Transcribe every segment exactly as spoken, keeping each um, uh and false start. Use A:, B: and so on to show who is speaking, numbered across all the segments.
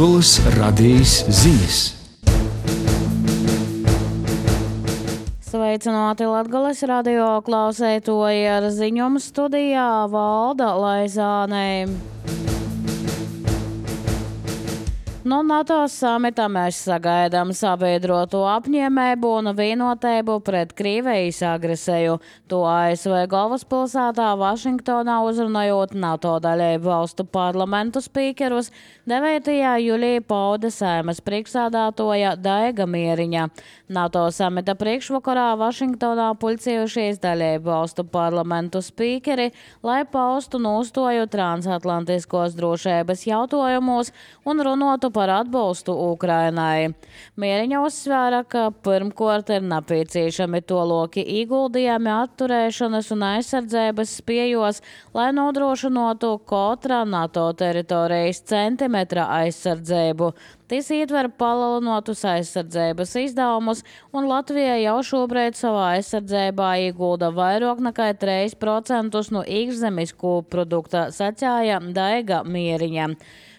A: Latgoles radījis ziņas.
B: Sveicināti Latgoles radio klausētoji, ar ziņumu studijā Valda Laizāne. No NATO samita mēs sagaidām sabiedroto apņēmību un vienotību pret Krievijas agresiju. To A S V galvaspilsētā Vašingtonā uzrunājot NATO dalību valstu parlamentu spīkerus devītajā jūlijā pauda Saeimas priekšsēdētāja Daiga Mieriņa. NATO samita priekšvakarā Vašingtonā pulcējušies dalību valstu parlamentu spīkeri, lai paustu nostāju transatlantiskos drošības jautājumos un runātu par atbalstu Ukrainai. Mieriņa uzsvēra, ka pirmkārt ir nepieciešami toloki ieguldījumi atturēšanas un aizsardzības spējos, lai nodrošinātu katra NATO teritorijas centimetra aizsardzību. Tas ietver palielinotus aizsardzības izdevumus, un Latvija jau šobrīd savā aizsardzībā iegulda vairāk nekā trīs procentus no iekšzemes koprodukta, sacīja Daiga Mieriņa.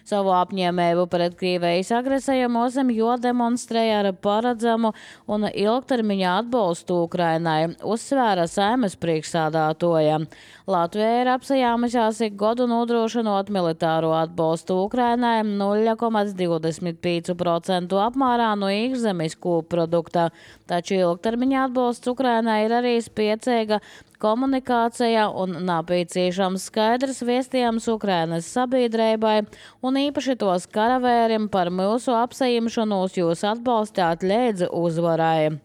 B: Savu apņēmību pret Krievijas agresiju mūsim jo demonstrēja ar paredzamu un ilgtermiņa atbalstu Ukrainai, uzsvēra Saeimas priekšsēdētāja. Latvija ir apsajāmusies ik gadu nodrošinot militāro atbalstu Ukrainai nulle komats divdesmit pieci procenti apmērā no iekšzemes koprodukta, taču ilgtermiņa atbalsts Ukrainai ir arī spēcīga komunikācija un nepieciešams skaidrs vēstījums Ukrainas sabiedrībai un īpaši tos karavēriem par mūsu apsaimšanos jūs atbalstāt līdz uzvarai.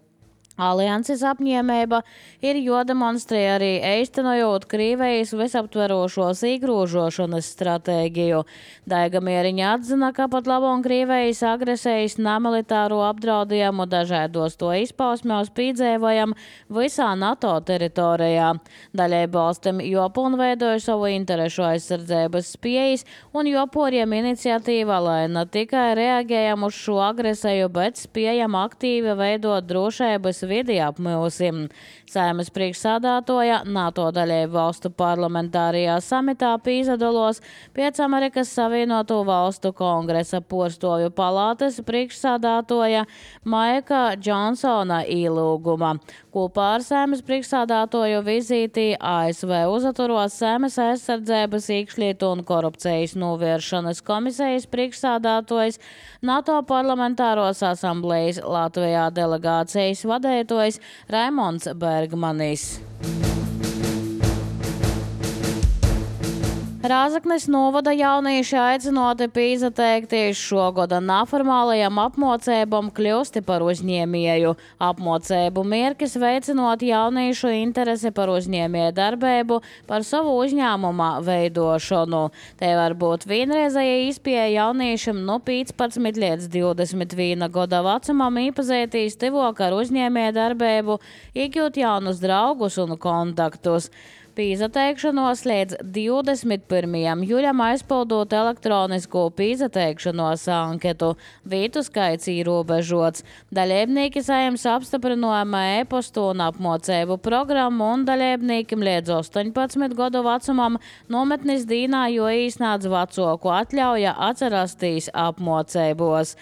B: Alianses apņēmība ir jodemonstrē arī īstenojot Krievijas visaptverošos iegrožošanas stratēģiju. Daiga Mieriņa atzina, ka pat labam Krievijas agresijas nemilitāro apdraudējumu dažādos to izpausmēs piedzīvojam visā NATO teritorijā. Dalību valstīm jopilnveidoja savu interešu aizsardzības spējas un joporiem iniciatīva, lai ne tikai reaģējam uz šo agresiju, bet spējam aktīvi veidot drošības vidi apmūsim. Saeimas priekšsēdētāja NATO dalību valstu parlamentārajā samitā pīzadalos pēc Amerikas Savienoto valstu kongresa porstovju palātes priekšsēdētāja Maika Džonsona ielūguma. Kopā ar Saeimas priekšsēdētāju vizītī A S V uzaturos Saeimas aizsardzības, iekšlietu un korupcijas novēršanas komisijas priekšsēdētājs, NATO parlamentāros asamblejas Latvijā delegācijas vadītājs Raimonds Bergmanis. Rāzaknes novada jaunieši aicinoti pīzateikties šogada neformālajam apmocībam kļūsti par uzņēmēju. Apmocību mērķis veicinot jauniešu interesi par uzņēmēju darbību, par savu uzņēmuma veidošanu. Te var būt vienreizēja izpēja jauniešiem no piecpadsmit līdz divdesmit viena gada vecumam iepazīties tivok ar uzņēmēju darbību, iegūt jaunus draugus un kontaktus. Pīzateikšanos līdz divdesmit pirmajam jūlijam aizpildot elektronisko pīzateikšanos anketu. Vītu skaits ierobežots. Dalībnieki saņems apstiprinājuma e-postu un apmocību programmu un dalībniekiem līdz astoņpadsmit gadu vecumam nometnes dīnā jo īsnāds vecāku atļauja atcerastīs apmocībos.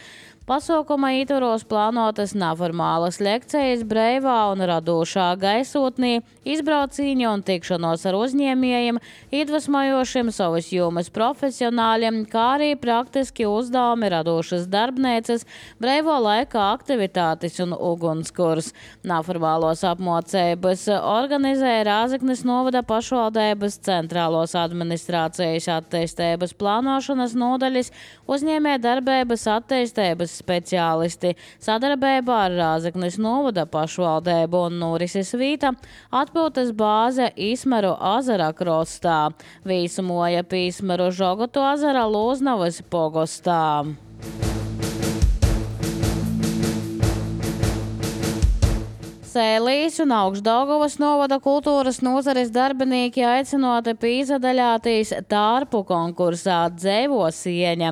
B: Pasākuma ietvaros plānotas neformālas lekcijas breivā un radošā gaisotnī, izbraucīņa un tikšanos ar uzņēmējiem, iedvesmojošiem savas jomas profesionāļiem, kā arī praktiski uzdevumi radošas darbnīcas, breivo laika aktivitātes un ugunskurs. Neformālos apmocības organizē Rāzaknes novada pašvaldības centrālos administrācijas attīstības plānošanas nodaļas, uzņēmē darbības attīstības speciālisti. Sadarbībā ar Rāzaknes novada pašvaldību un norises vīta atpūtas bāze Īsmeru azara krostā. Vīsumoja Pīsmeru Žogotu azara Lūznavas pogostā. Sēlīs un Augšdaugavas novada kultūras nozares darbinieki aicinoti pīzadaļātīs tārpu konkursā Dzēvo sieņa.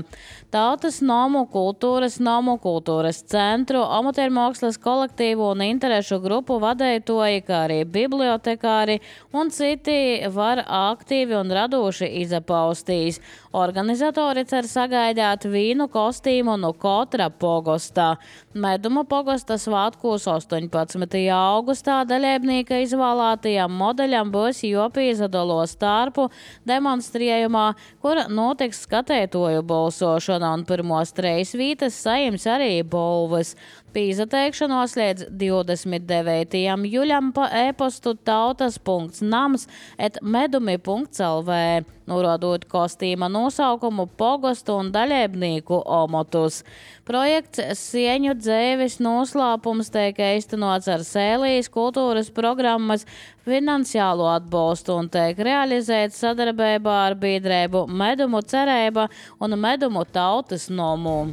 B: Tautas nomu, kultūras nomu, kultūras centru, amatiermākslas kolektīvu un interešu grupu vadētoji, kā arī bibliotekāri un citi var aktīvi un radoši izapaustīs. Organizatori cer sagaidāt vīnu kostīmu no Kotra pogostā. Meduma pogosta svātkos astoņpadsmitajā augustā dalībnieka izvēlētajam modeļam būs jopīzadolos tārpu demonstrējumā, kur notiks skatētoju balsošana un pirmos trejas vītas sajims arī balvas. Pīzateikšanos līdz divdesmit devītajam jūļam pa e-postu tautas punkts nams et medumi punkts el vē, norādot kostīma nosaukumu, pogostu un dalībnieku omotus. Projekts Sieņu dzēvis noslēpums tiek īstenots ar Sēlijas kultūras programmas finansiālo atbalstu un tiek realizēts sadarbībā ar biedrību Medumu cerība un Medumu tautas nomu.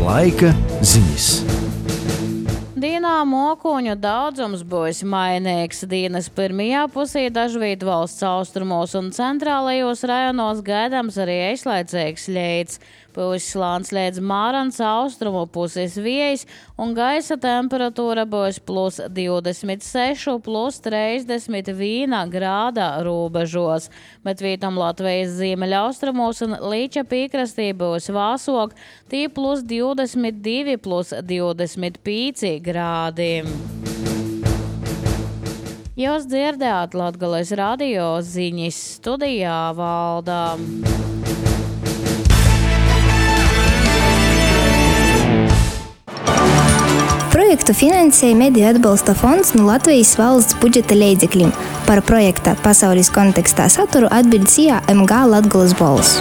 A: Laika ziņas.
B: Dienā mokuņu daudzums būs mainīgs. Dienas pirmajā pusē dažviet valsts austrumos un centrālajos rajonos gaidāms arī īslaicīgs ļēds. Būs slāns līdz Mārans austrumu puses vējs un gaisa temperatūra būs plus divdesmit seši, plus trīsdesmit viens grāda robežos. Bet vietam Latvijas ziemeļaustrumos un Līča piekrastī būs vāsok, tī plus divdesmit divi, plus divdesmit pieci grādi. Jūs dzirdējāt Latgales radio ziņas, studijā Valdā.
C: Projektu finansēja Mediju atbalsta fonds no Latvijas valsts budžeta līdzekļiem. Par projekta pasaules kontekstā saturu atbild C A M G Latgales balss.